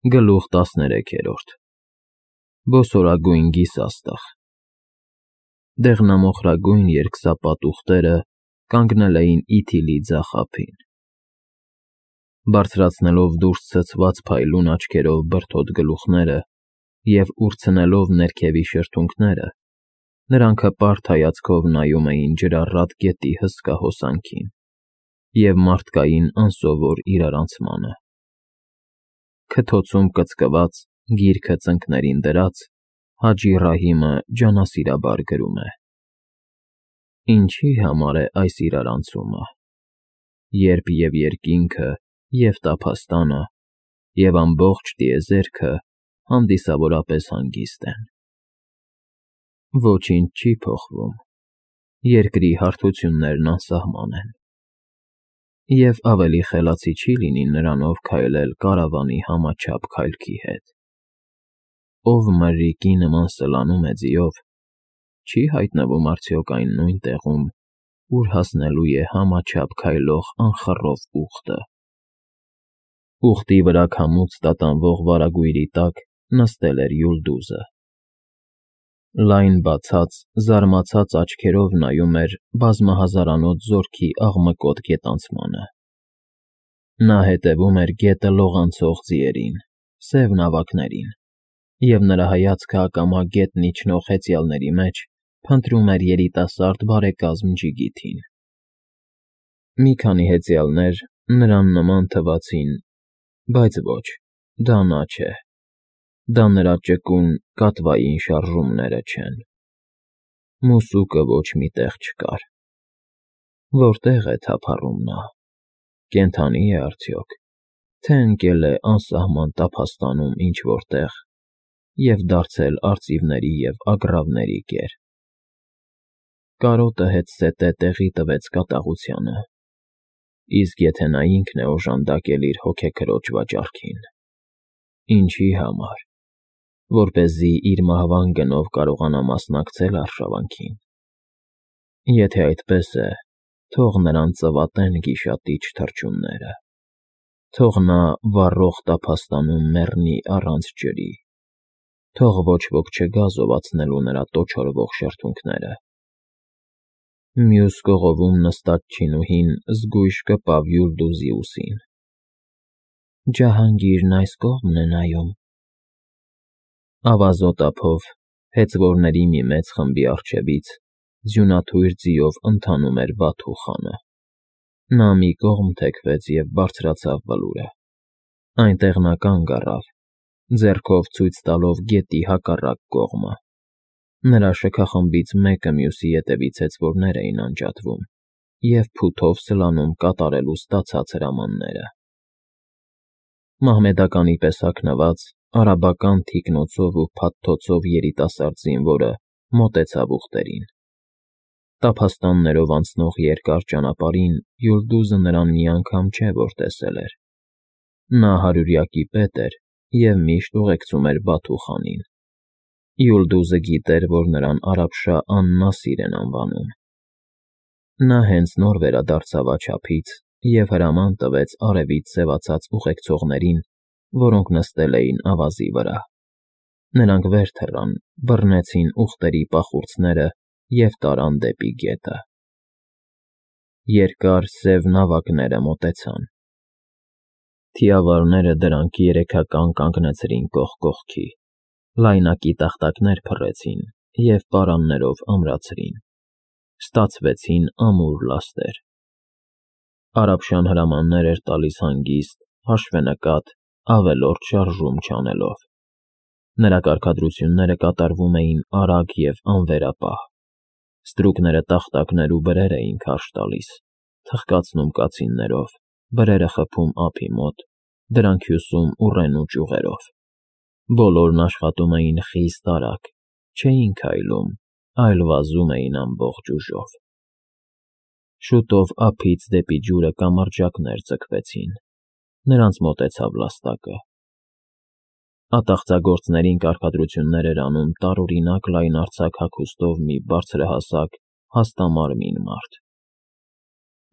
Գլուխ 13 Բոսորագույն գիսաստղ Դեղնամոխրագույն երկսապատ ուղտերը կանգնել էին իթիլի ձախ ափին, բարձրացնելով դուրս ցցված փայլուն աչքերով բրդոտ գլուխները և ուրցնելով ներքևի շրթունքները, նրանք հպարտ հայացքով նայում էին ջրառատ գետի հսկա հոսանքին և մարդկային անսովոր իրարանցմանը։ Քթոցում կծկված, գիրքը ծնկներին դրած, Հաջի Ռահիմը ջանասիրաբար գրում է. Ինչի համար է այս իրարանցումը, երբ և երկինքը, և տափաստանը, և ամբողջ տիեզերքը հանդիսավորապես հանգիստ են։ Ոչինչ չի փոխվում, երկրի հարթություններն անսահման են, և ավելի խելացի չի լինի նրանով քայլել կարավանի համաչափ քայլքի հետ։ Ով մրրիկի նման սլանում է ձիով, չի հայտնվում արդյոք այն նույն տեղում, ուր հասնելու է համաչափ քայլող անխռով ուղտը։ Ուղտի վրա քամուց տատանվող վարագույրի տակ նստել էր Յուլդուզը։ Լայն բացած, զարմացած աչքերով նայում էր բազմահազարանոց զորքի աղմկոտ գետանցմանը։ Նա հետևում էր գետը լողանցող ձիերին, սև նավակներին, և նրա հայացքը ակամա գետն իջնող հեծյալների մեջ փնտրում էր երիտասարդ բարեկազմ Ջիգիթին։ Մի քանի հեծյալներ նրան նման թվացին, բայց ոչ, դա նա չէ, դա նրա ճկուն, կատվային շարժումները չեն։ Մուսուկը ոչ մի տեղ չկար։ Որտե՞ղ է թափառում նա, կենդանի՞ է արդյոք, թե ընկել է անսահման տափաստանում ինչ֊որ տեղ և դարձել արծիվների և ագռավների կեր։ Կարոտը հետզհետե տեղի տվեց կատաղությանը, իսկ եթե նա ինքն է օժանդակել իր հոգեքրոջ վաճառքին, ինչի համար, որպեսզի իր մահվան գնով կարողանա մասնակցել արշավանքին։ Եթե այդպես է, թող նրան ծվատեն գիշատիչ թռչունները, թող նա վառող տափաստանում մեռնի առանց ջրի, թող ոչ ոք չգա զովացնելու նրա տոչորվող շրթունքները։ Մյուս կողովում նստած չինուհին զգույշ կպավ Յուլդուզի ուսին։ Ջահանգիրն այս կողմն է նայում։ Ավազոտ ափով, հեծվորների մի մեծ խմբի առջևից, ձյունաթույր ձիով ընթանում էր Բաթու խանը։ Նա մի կողմ թեքվեց և բարձրացավ բլուրը։ Այնտեղ նա կանգ առավ, ձեռքով ցույց տալով գետի հակառակ կողմը։ Նրա շքախմբից մեկը մյուսի ետևից հեծվորներ էին անջատվում և փութով սլանում կատարելու ստացած հրամանները։ Մահմեդականի պես հագնված, արաբական թիկնոցով ու փաթթոցով երիտասարդ զինվորը մոտեցավ ուղտերին։ Տափաստաններով անցնող երկար ճանապարհին Յուլդուզը նրան մի անգամ չէ, որ տեսել էր։ Նա հարյուրյակի պետ էր և միշտ ուղեկցում էր Բաթու խանին։ Յուլդուզը գիտեր, որ նրան Արաբշահ ան֊Նասիր են անվանում։ Նա հենց նոր վերադարձավ աջափից և հրաման տվեց արևից սևացած ուղեկցողներին, որոնք նստել էին ավազի վրա։ Նրանք վեր թռան, բռնեցին ուղտերի պախուրձները և տարան դեպի գետը։ Երկար սև նավակները մոտեցան։ Թիավարները դրանք երեքական կանգնեցրին կողք կողքի, լայնակի տախտակներ փռեցին և պարաններով ամրացրին։ Ստացվեցին ամուր լաստեր։ Արաբշան հրամաններ էր տալիս հանգիստ, հաշվենկատ, ավելորդ շարժում չանելով։ Նրա կարգադրությունները կատարվում էին արագ և անվերապահ։ Ստրուկները տախտակներ ու բրեր էին քարշ տալիս, թխկացնում կացիններով, բրերը խփում ափի մոտ, դրանք հյուսում ուռենու ճյուղերով։ Բոլորն աշխատում էին խիստ արագ, չէին քայլում, այլ վազում էին ամբողջ ուժով։ Շուտով ափից դեպի ջուրը կամրջակներ ձգվեցին։ Նրանց մոտեցավ լաստակը։ Ատաղձագործներին կարգադրություններ էր անում տարօրինակ լայնարձակ հագուստով մի բարձրահասակ, հաստամարմին մարդ։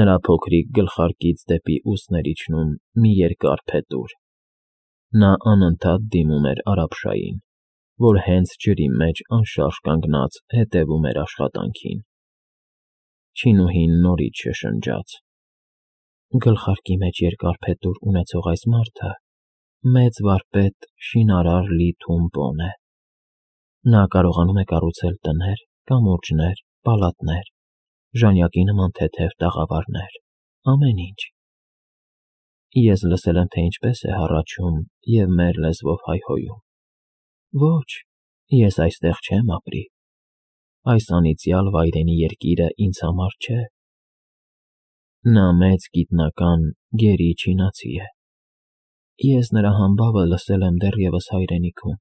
Նրա փոքրիկ գլխարկից դեպի ուսն էր իջնում մի երկար փետուր։ Նա անընդհատ դիմում էր Արաբշային, որ հենց ջրի մեջ անշարժ կանգնած հետևում էր աշխատանքին։ Չինուհին նորից շշնջաց. «Գլխարկի մեջ երկար փետուր ունեցող այս մարդը մեծ վարպետ շինարար Լի Թունպոն է։ Նա կարողանում է կառուցել տներ, կամուրջներ, պալատներ, ժանյակի նման թեթև տաղավարներ, ամեն ինչ։ Ես լսել եմ, թե ինչպես է հառաչում և մեր լեզվով հայհոյում։ Ոչ, ես այստեղ չեմ ապրի։ Այս անիծյալ վայրենի երկիրը ինձ համար չէ։ Նա մեծ գիտնական գերի չինացի է։ Ես նրա համբավը լսել եմ դեռևս հայրենիքում»։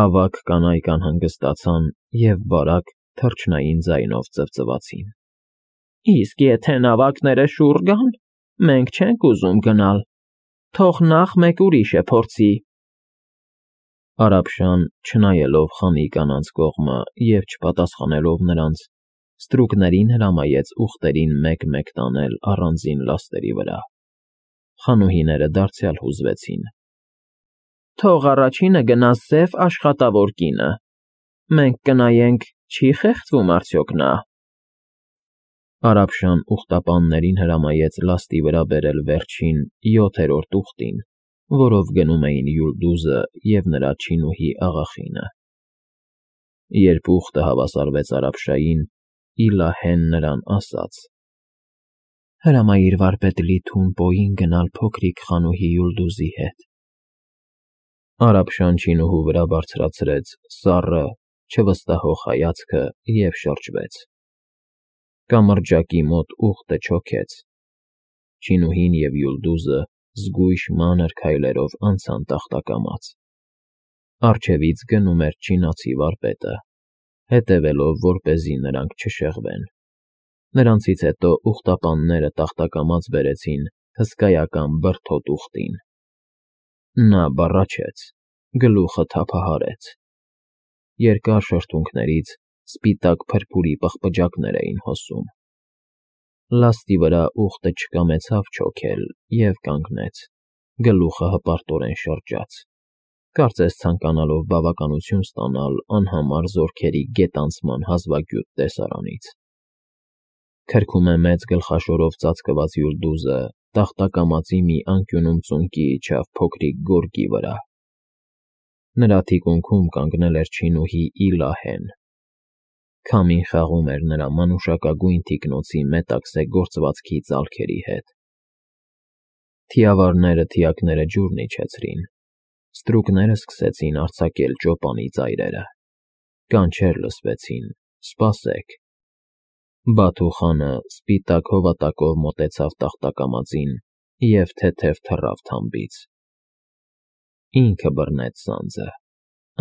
Ավագ կանայք անհանգստացան և բարակ, թռչնային ձայնով ծվծվացին։ «Իսկ եթե նավակները շուռ գան, մենք չենք ուզում գնալ, թող նախ մեկ ուրիշը փորձի»։ Արաբշան, չնայելով խանի կանանց կողմը և չպատասխանելով նրանց, ստրուկներին հրամայեց ուղտերին մեկ-մեկ տանել առանձին լաստերի վրա։ Խանուհիները դարձյալ հուզվեցին։ «Թող առաջինը գնա սև աշխատավոր կինը, մենք կնայենք, չի՞ խեղդվում արդյոք նա»։ Արաբշան ուղտապաններին հրամայեց լաստի վրա բերել վերջին 7-րդ ուղտին, որով գնում էին Յուլդուզը և նրա չինուհի աղախինը։ Երբ ուղտը հավասարվեց Արաբշային, Իլահեն նրան ասաց. «Հրամայիր վարպետ Լի Թունպոյին գնալ փոքրիկ խանուհի Յուլդուզի հետ»։ Արաբշան չինուհու վրա բարձրացրեց սառը, չվստահող հայացքը և շրջվեց։ Կամրջակի մոտ ուղտը չոքեց։ Չինուհին և Յուլդուզը զգույշ մանր քայլերով անցան տախտակամած։ Առջևից գնում էր չինացի վարպետը, հետևելով, որպեսզի նրանք չշեղվեն։ Նրանցից հետո ուղտապանները տախտակամած բերեցին հսկայական բրդոտ ուղտին։ Նա բառաչեց, գլուխը թափահարեց։ Երկար շրթունքներից սպիտակ փրփուրի պղպջակներ էին հոսում։ Լաստի վրա ուղտը չկամեցավ չոքել և կանգնեց, գլուխը հպարտորեն շրջաց, կարծես ցանկանալով բավականություն ստանալ անհամար զորքերի գետանցման հազվագյուտ տեսարանից։ Քրքում է մեծ գլխաշորով ծածկված Յուլդուզը տախտակամածի մի անկյունում ծունկի իջավ փոքրիկ գորգի վրա։ Նրա թիկունքում կանգնել էր չինուհի Իլահեն։ Քամին խաղում էր նրա մանուշակագույն թիկնոցի մետաքսե գործվածքի ծալքերի հետ։ Թիավարները թիակները ջուրն իջեցրին։ Ստրուկները սկսեցին արձակել ճոպանի ծայրերը։ Կանչեր լսվեցին. «Սպասեք»։ Բաթու խանը սպիտակ հովատակով մոտեցավ տախտակամածին և թեթև թռավ թամբից։ Ինքը բռնեց սանձը,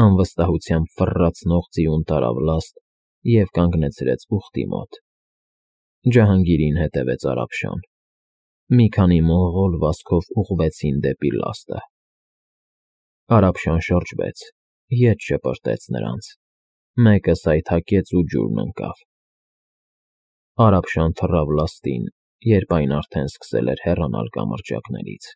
անվստահությամբ ֆռռացնող ձիուն տարավ լաստ և կանգնեցրեց ուղտի մոտ։ Ջահանգիրին հետևեց Արաբշան։ Մի քանի մոնղոլ վազքով ուղղվեցին դեպի լաստը։ Արաբշան շրջվեց, ետ շպրտեց նրանց։ Մեկը սայթաքեց ու ջուրն ընկավ։ Արաբշան թռավ լաստին, երբ այն արդեն սկսել էր հեռանալ կամրջակներից։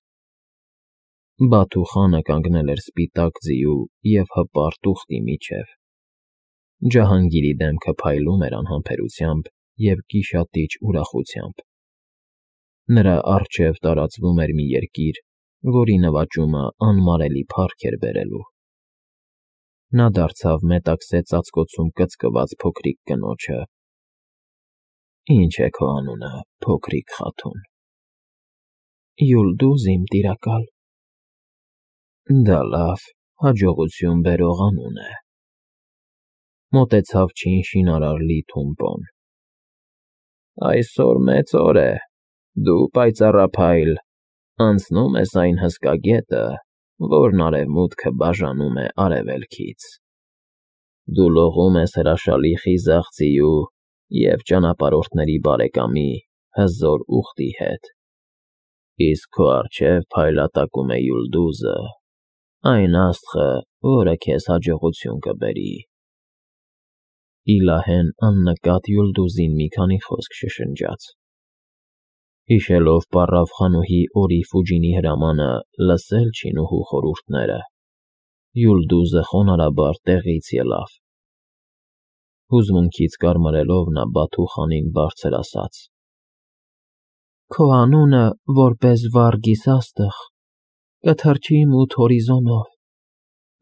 Բաթու խանը կանգնել էր սպիտակ ձիու և հպարտ ուղտի միջև։ Ջահանգիրի դեմքը փայլում էր անհամբերությամբ և գիշատիչ ուրախությամբ։ Նրա առջև տարածվում էր մի երկիր, որի նվաճումը անմարելի փառք էր բերելու։ Նա դարձավ մետաքսե ծածկոցում կծկված փոքրիկ կնոջը։ «Ի՞նչ է քո անունը, փոքրիկ խաթուն»։ «Յուլդուզ, իմ տիրակալ»։ «Դա լավ, հաջողություն բերող անուն է»։ Մոտեցավ չին շինարար Լի Թունպոն։ «Այսօր մեծ օր է, դու պայծառափայլ, անցնում ես այն հսկա գետը, որն արևմուտքը բաժանում է արևելքից։ Դու լողում ես հրաշալի խիզախ ձիու և ճանապարհորդների բարեկամի հզոր ուղտի հետ։ Իսկ քո առջև փայլատակում է Յուլդուզը, այն աստղը, որը քեզ հաջողություն կբերի»։ Իլահեն աննկատ Յուլդուզին մի քանի խոսք շշնջաց։ Հիշելով պառավ խանուհի Օրի Ֆուջինի հրամանը լսել չինուհու խորհուրդները, Յուլդուզը խոնարհաբար տեղից ելավ։ Հուզմունքից կարմրելով նա Բաթուխանին բարձր ասաց. «Քո անունը, որպես վարգիս աստղ, կթռչի մութ հորիզոնով,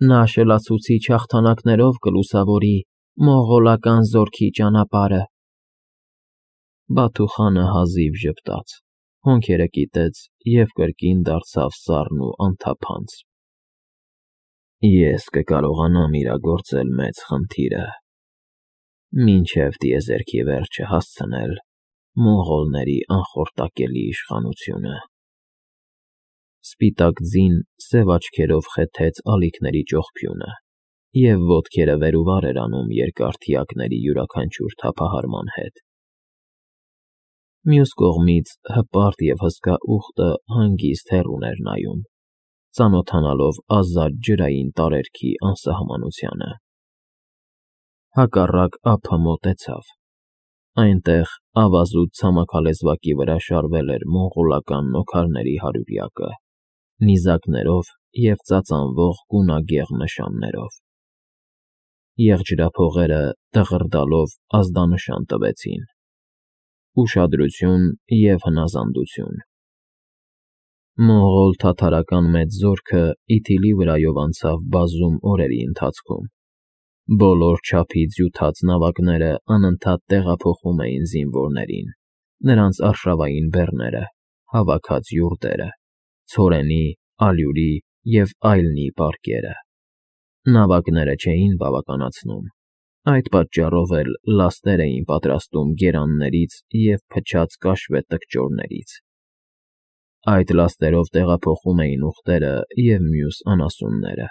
նա շլացուցիչ հաղթանակներով կլուսավորի մողղոլական զորքի ճանապարհը»։ Բաթուխանը հազիվ ժպտաց, հոնքերը կիտեց և կրկին դարձավ սառն ու անթափանց։ «Ես կկարողանամ իրագործել մեծ խնդիրը, մինչև տիեզերքի վերջը հասցնել մոնղոլների անխորտակելի իշխանությունը»։ Սպիտակ ձին սև աչքերով խեթեց ալիքների ճողփյունը և ոտքերը վեր ու վար էր անում երկար թիակների յուրաքանչյուր թափահարման հետ։ Մյուս կողմից հպարտ և հսկա ուղտը հանգիստ հեռուն էր նայում, ծանոթանալով ազատ ջրային տարերքի անսահմանությանը։ Հակառակ ափը մոտեցավ։ Այնտեղ ավազուտ ցամաքալեզվակի վրա շարվել էր մոնղոլական նոքարների հարյուրյակը՝ նիզակներով և ծածանվող գունագեղ նշաններով։ Եղջրափողերը դղրդալով ազդանշան տվեցին. ուշադրություն և հնազանդություն։ Մոնղոլ֊թաթարական մեծ զորքը Իթիլի վրայով անցավ բազում օրերի ընթացքում։ Բոլոր չափից հյութած նավակները անընդհատ տեղափոխում էին զինվորներին, նրանց արշավային բեռները, հավաքած յուրտերը, ցորենի, ալյուրի և այլնի պարկերը։ Նավակները չէին բավականացնում, այդ պատճառով էլ լաստեր էին պատրաստում գերաններից և փչած կաշվե տկճորներից։ Այդ լաստերով տեղափոխում էին ուղտերը և մյուս անասունները,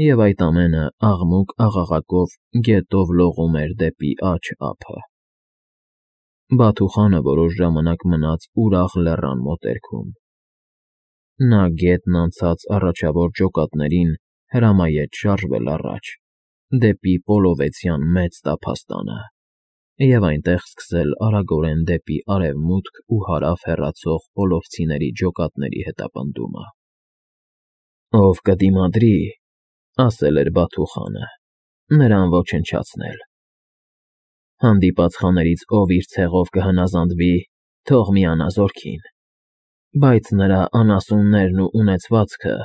և այդ ամենը աղմուկ-աղաղակով գետով լողում էր դեպի աջ ափը։ Բաթուխանը որոշ ժամանակ մնաց ուրախ լեռան մոտերքում։ Նա գետն անցած առաջավոր ջոկատներին հրամայեց շարժվել առաջ, դեպի Պոլովեցյան մեծ տափաստանը, և այնտեղ սկսել արագորեն դեպի արևմուտք ու հարավ հեռացող պոլովցիների ջոկատների հետապնդումը։ «Ով կդիմադրի,— ասել էր Բաթուխանը,— նրան ոչնչացնել։ Հանդիպած խաներից ով իր ցեղով կհնազանդվի, թող միանա զորքին, բայց նրա անասուններն ու ունեցվածքը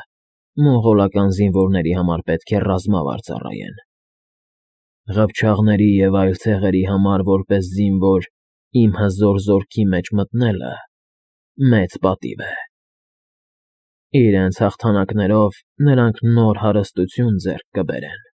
մոնղոլական զինվորների համար պետք է ռազմավար ծառայեն։ Ղփչաղների և այլ ցեղերի համար որպես զինվոր իմ հզոր զորքի մեջ մտնելը մեծ պատիվ է։ Իրենց հաղթանակներով նրանք նոր հարստություն ձեռք կբերեն։